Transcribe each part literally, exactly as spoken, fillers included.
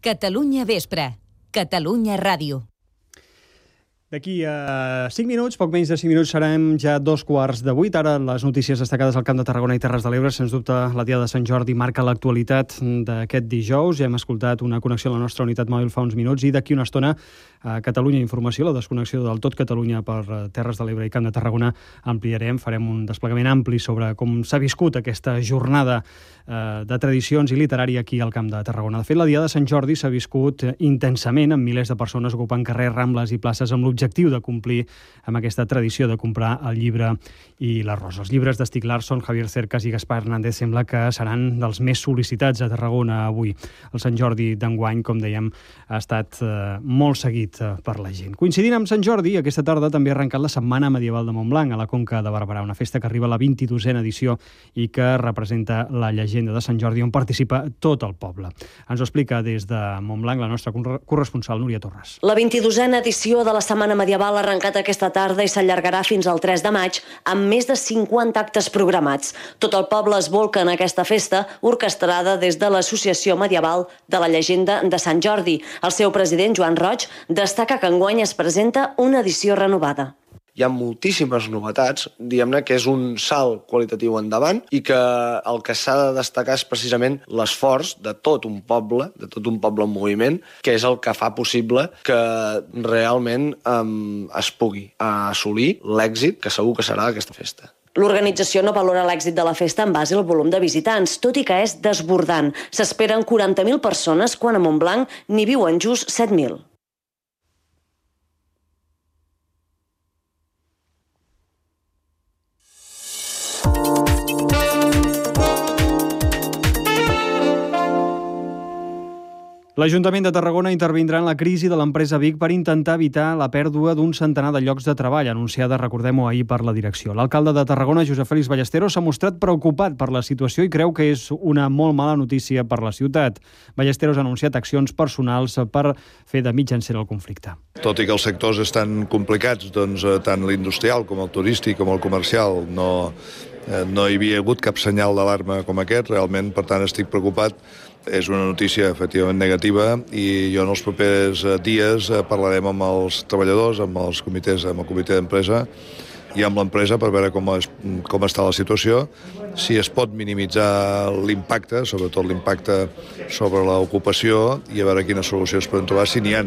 Catalunya Vespre, Catalunya Ràdio. D'aquí a cinc minuts, poc menys de cinc minuts, serem ja dos quarts de vuit. Ara les notícies destacades al Camp de Tarragona i Terres de l'Ebre. Sens dubte, la Diada de Sant Jordi marca l'actualitat d'aquest dijous. Ja hem escoltat una connexió a la nostra unitat mòbil fa uns minuts i d'aquí una estona a Catalunya Informació, la desconnexió del tot Catalunya per Terres de l'Ebre i Camp de Tarragona, ampliarem, farem un desplegament ampli sobre com s'ha viscut aquesta jornada eh, de tradicions i literària aquí al Camp de Tarragona. De fet, la Diada de Sant Jordi s'ha viscut intensament, amb milers de persones ocupant carrers, rambles i places amb l'objectiu de complir amb aquesta tradició de comprar el llibre i l'arròs. Els llibres d'Stieg Larsson, Javier Cercas i Gaspar Hernández sembla que seran dels més sol·licitats a Tarragona avui. El Sant Jordi d'enguany, com dèiem, ha estat eh, molt seguit eh, per la gent. Coincidint amb Sant Jordi, aquesta tarda també ha arrencat la Setmana Medieval de Montblanc a la Conca de Barberà, una festa que arriba a la vint-i-dosena edició i que representa la llegenda de Sant Jordi on participa tot el poble. Ens ho explica des de Montblanc la nostra corresponsal Núria Torres. La vint-i-dosena edició de la Setmana Medieval ha arrencat aquesta tarda i s'allargarà fins al tres de maig amb més de cinquanta actes programats. Tot el poble es volca en aquesta festa orquestrada des de l'Associació Medieval de la Llegenda de Sant Jordi. El seu president, Joan Roig, destaca que enguany es presenta una edició renovada. Hi ha moltíssimes novetats, diguem-ne que és un salt qualitatiu endavant i que el que s'ha de destacar és precisament l'esforç de tot un poble, de tot un poble en moviment, que és el que fa possible que realment um, es pugui assolir l'èxit que segur que serà aquesta festa. L'organització no valora l'èxit de la festa en base al volum de visitants, tot i que és desbordant. S'esperen quaranta mil persones quan a Montblanc n'hi viuen just set mil. L'Ajuntament de Tarragona intervindrà en la crisi de l'empresa Vic per intentar evitar la pèrdua d'un centenar de llocs de treball, anunciada, recordem-ho, ahir per la direcció. L'alcalde de Tarragona, Josep Félix Ballesteros, s'ha mostrat preocupat per la situació i creu que és una molt mala notícia per la ciutat. Ballesteros ha anunciat accions personals per fer de mitjancer el conflicte. Tot i que els sectors estan complicats, doncs, tant l'industrial com el turístic com el comercial, no, no hi havia hagut cap senyal d'alarma com aquest, realment, per tant, estic preocupat. És una notícia efectivament negativa i jo en els propers dies parlarem amb els treballadors, amb els comitès, amb el comitè d'empresa i amb l'empresa per veure com, es, com està la situació, si es pot minimitzar l'impacte, sobretot l'impacte sobre l'ocupació i a veure quines solucions podem trobar, si n'hi ha.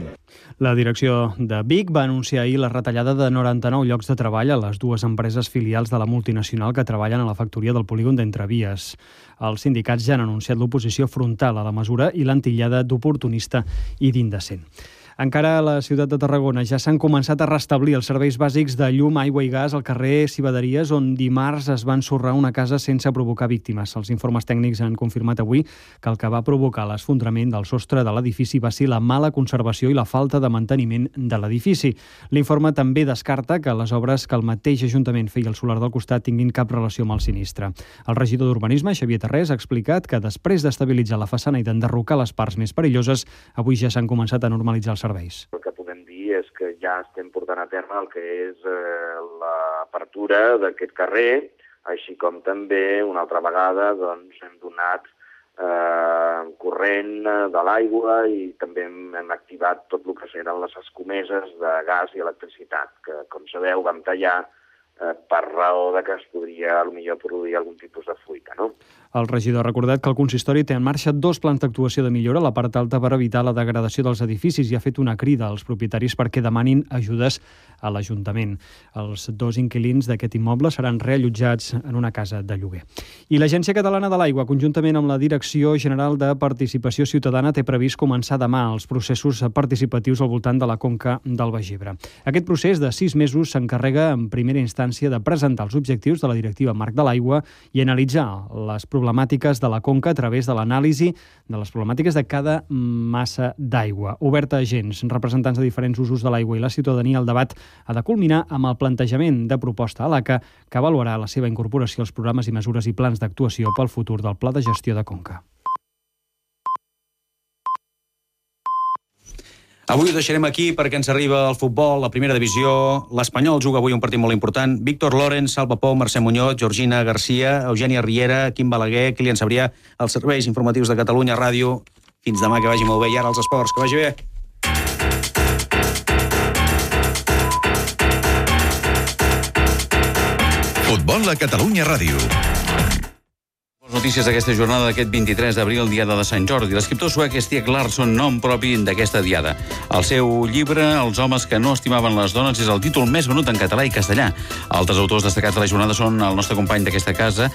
La direcció de Vic va anunciar ahir la retallada de noranta-nou llocs de treball a les dues empreses filials de la multinacional que treballen a la factoria del polígon d'Entrevies. Els sindicats ja han anunciat l'oposició frontal a la mesura i l'han titllada d'oportunista i d'indecent. Encara a la ciutat de Tarragona ja s'han començat a restablir els serveis bàsics de llum, aigua i gas al carrer Civaderies, on dimarts es va ensorrar una casa sense provocar víctimes. Els informes tècnics han confirmat avui que el que va provocar l'esfondrament del sostre de l'edifici va ser la mala conservació i la falta de manteniment de l'edifici. L'informe també descarta que les obres que el mateix Ajuntament feia al solar del costat tinguin cap relació amb el sinistre. El regidor d'Urbanisme, Xavier Tarrés, ha explicat que després d'estabilitzar la façana i d'enderrocar les parts més perilloses, avui ja s'han començat a normalitzar els serveis. El que podem dir és que ja estem portant a terme el que és eh, l'apertura d'aquest carrer, així com també una altra vegada doncs, hem donat eh, corrent de l'aigua i també hem, hem activat tot el que eren les escomeses de gas i electricitat, que com sabeu vam tallar eh, per raó de que es podria potser produir algun tipus de fuita, no? El regidor ha recordat que el consistori té en marxa dos plans d'actuació de millora a la part alta per evitar la degradació dels edificis i ha fet una crida als propietaris perquè demanin ajudes a l'Ajuntament. Els dos inquilins d'aquest immoble seran reallotjats en una casa de lloguer. I l'Agència Catalana de l'Aigua, conjuntament amb la Direcció General de Participació Ciutadana, té previst començar demà els processos participatius al voltant de la conca del Baix Ebre. Aquest procés de sis mesos s'encarrega en primera instància de presentar els objectius de la Directiva Marc de l'Aigua i analitzar les problemàtiques de la conca a través de l'anàlisi de les problemàtiques de cada massa d'aigua. Oberta a agents, representants de diferents usos de l'aigua i la ciutadania, el debat ha de culminar amb el plantejament de proposta a l'A C A que avaluarà la seva incorporació als programes i mesures i plans d'actuació pel futur del Pla de Gestió de Conca. Avui ho deixarem aquí perquè ens arriba el futbol, la primera divisió. L'Espanyol juga avui un partit molt important. Víctor Lorenz, Salva Pou, Mercè Muñoz, Georgina Garcia, Eugènia Riera, Quim Balaguer, Kilian Sabrià, els serveis informatius de Catalunya Ràdio. Fins demà, que vagi molt bé. I ara els esports, que vagi bé. Futbol a Catalunya Ràdio. Notícies d'aquesta jornada d'aquest vint-i-tres d'abril, diada de Sant Jordi. L'escriptor suec Stieg Larsson, nom propi d'aquesta diada. El seu llibre, Els homes que no estimaven les dones, és el títol més venut en català i castellà. Altres autors destacats de la jornada són el nostre company d'aquesta casa,